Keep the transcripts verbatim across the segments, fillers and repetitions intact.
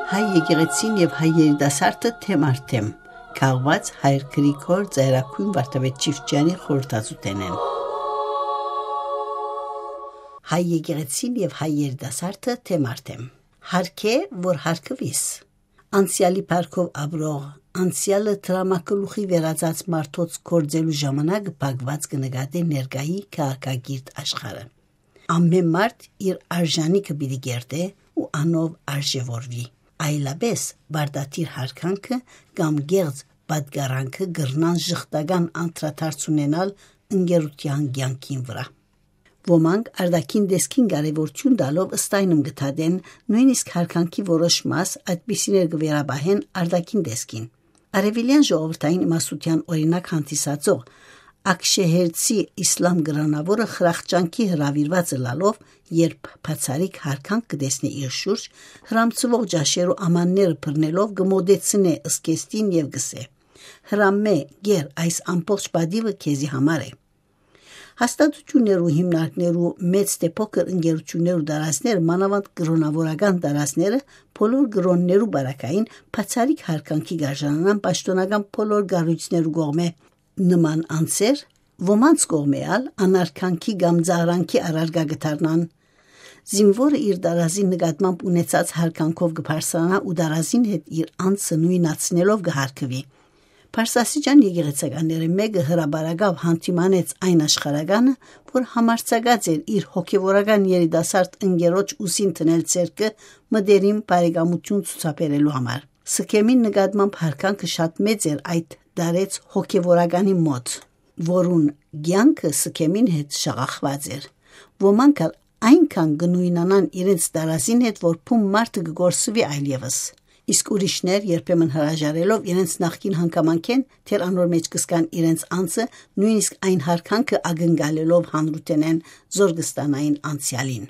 Հայ եկեղեցին եւ հայ երիտասարդը թեմ առ թեմ, քաղուած հայր Գրիգոր Ծայրագոյն Վարդապետ Չիֆճեանի խորհրդածութենէն։ Հայ եկեղեցին եւ հայ երիտասարդը թեմ առ թեմ։ Հարկէ, որ հարկուիս։ Անցեալի փառքով ապրող, անցեալը դրամագլուխի վերածած մարդոց գործելու ժամանակը փակուած կը նկատէ ներկայի քաղաքակիրթ աշխարհը։ Ամէն մարդ իր արժանիքը պիտի կերտէ ու անով արժեւորուի։ Այլապէս պարտադիր յարգանքը կամ կեղծ պատկառանքը կրնան ժխտական անդրադարձ ունենալ ընկերութեան կեանքին վրայ։ Ոմանք արտաքին տեսքին կարեւորութիւն տալով ստայնում կը դատեն, նոյնիսկ յարգանքի որոշ մաս այդպիսիներ կը վերապահեն արտաքին տեսքին։ Արեւելեան ժողովրդային իմաստութեան օրինակ հանդիսացող ակշեհերցի իսլամ կրօնաւորը խրախճանքի հրաւիրուած ըլլալով, երբ բացառիկ յարգանք կը տեսնէ իր շուրջ, հրամցուող ճաշերու ամանները բռնելով կը մոտեցնէ զգեստին եւ կ'ըսէ. «Հրամէ, գեր, այս ամբողջ պատիւը քեզի համար է»։ Հաստատութիւններու, հիմնարկներու, մեծ թէ փոքր ընկերութիւններու տարածքները, մանաւանդ կրօնաւորական տարածքները, բոլոր կրօններու պարագային բացառիկ յարգանքի կ'արժանանան պաշտօնական բոլոր կառոյցներու կողմէ։ Նման անձեր ոմանց կողմէ ալ անարգանքի կամ ծաղրանքի առարկայ կը դառնան։ Զինուորը իր տարազին նկատմամբ ունեցած յարգանքով կը բարձրանայ ու տարազին հետ իր անձը նոյնացնելով կը յարգուի։ Պարսասիջան եկեղեցականներէն մէկը հրապարակաւ յանդիմանեց այն աշխարհականը, որ համարձակած էր իր հոգեւորական երիտասարդ ընկերոջ ուսին դնել ձեռքը մտերիմ բարեկամութիւն ցուցաբերելու համար։ Սքեմին նկատմամբ յարգանքը շատ մեծ էր այդ տարեց հոգեվորականի մոտ, որուն կեանքը Սքեմին հետ շաղախուած էր։ Ոմանք ալ այնքան կը նոյնանան իրենց տարազին հետ, որ բուն մարդը կը կորսուի այլեւս։ Իսկ ուրիշներ, երբեմն հրաժարելով իրենց նախկին հանգամանքէն, դեռ անոր մէջ կը զգան իրենց անձը, նոյնիսկ այն յարգանքը ակնկալելով հանրութենէն, զոր կը ստանային անցեալին։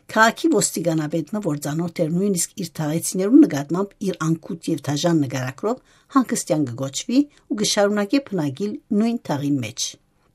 Քաղաքի ոստիկանապետ մը, որ ծանօթ էր նոյնիսկ իր թաղեցիներուն նկատմամբ իր անկութ եւ դաժան նկարագրով, հանգստեան կը կոչուի ու կը շարունակէ բնակիլ նոյն թաղին մէջ։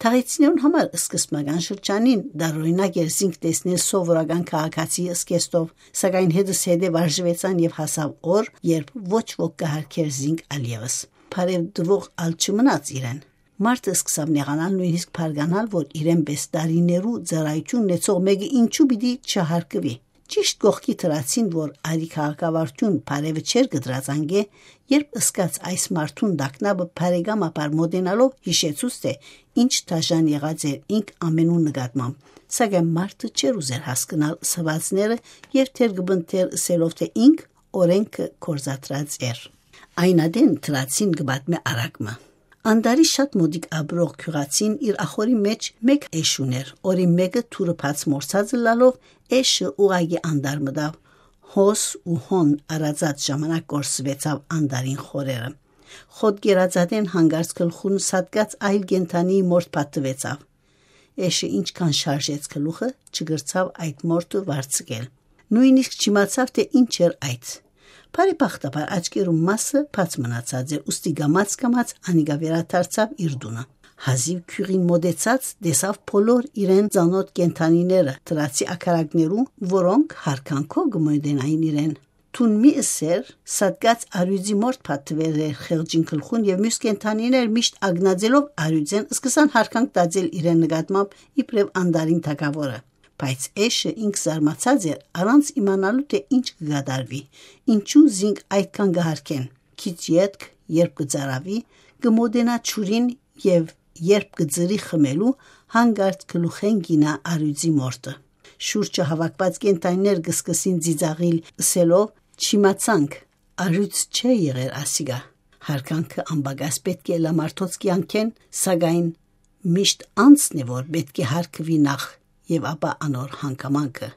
Թաղեցիներուն համար սկզբնական շրջանին տարօրինակ էր զինք տեսնել սովորական քաղաքացիի զգեստով, սակայն հետզհետե վարժուեցան եւ հասաւ օր, երբ ոչ ոք կը յարգէր զինք ալ եւս։ Բարեւ տուող ալ չմնաց իրեն։ Մարդը սկսաւ նեղանալ, նոյնիսկ բարկանալ, որ իրեն պէս տարիներու ծառայութիւն ունեցող մէկը ինչու պիտի չյարգուի։ Ճիշտ կողքի դրացին, որ արի քաղաքավարութիւն բարեւը չէր կտրած անկէ, երբ ըսկաց այս մարդուն տագնապը բարեկամաբար մոտենալով յիշեցուց, թէ ինչ դաժան եղած էր ինք ամենուն նկատմամբ, սակայն մարդը չէր ուզեր հասկնալ սուածները եւ թեր կը բնթեր ըսելով, թէ ինք օրէնքը գործադրած էր։ Այն ատեն դրացին կը պատմէ արագ մը։ Անտարի շատ մօտիկ ապրող գիւղացին իր ախորի մէջ մէկ էշ ունէր, օրին մէկը թուրը բաց մոռցած ըլլալով, էշը ուղղակի անտար մտաւ։ Հոս ու հոն արածած ժամանակ կորսուեցաւ անտարին խորերը։ Խոտ կերածատեն հանկարծ գլխուն սատկած այլ կենդանիի մորթ փաթթուեցաւ։ Էշը ինչքան շարժեց գլուխը, չկրցաւ այդ մորթը վարձկել։ Նոյնիսկ չիմացաւ, թէ ինչ էր այդ։ Բարեբախտաբար աչքերու մասը բաց մնացած էր, ուստի կամաց-կամաց անիկա վերադարձաւ իր տունը։ Հազիւ գիւղին մոտեցած, տեսաւ բոլոր իրեն ծանօթ կենդանիները, դրացի ակարակներու, որոնք յարգանքով կը մոտենային իրեն։ Թուն մի ըսեր, սատկած արիւծի մորթ փաթթուեր էր խեղճին գլխուն եւ մյուս կենդանիներ միշտ ագնաձելով արիւծեն սկսան յարգանք տածել իրեն նկատմամբ իբրեւ անտարին թագաւորը։ Բայց էշը ինք զարմացած էր, առանց իմանալու, թէ ինչ կը կատարուի, ինչու զինք այդքան կը յարգեն։ Քիչ ետք, երբ կը ծարաւի, կը մոտենայ ջուրին եւ երբ կը ծռի խմելու, հանկարծ գլուխէն կ'իյնայ արիւծի մորթը։ Շուրջը հաւաքուած կենդանիներ կը սկսին ծիծաղիլ, ըսելով. «Չիմացանք, արիւծ չէ եղեր ասիկա»։ Յարգանքը անպակաս պէտք է ըլլայ մարդոց կեանքէն, սակայն միշտ անձն է, որ պէտք է յարգուի նախ եւ ապա անոր հանգամանքը։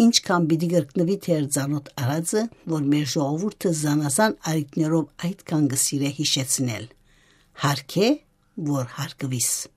Ինչքան պիտի կրկնուի թեր ծանօթ արածը, որ մեր ժողովուրդը զանազան առիթներով այդքան կը սիրէ յիշեցնել. «Յարգէ, որ յարգուիս»։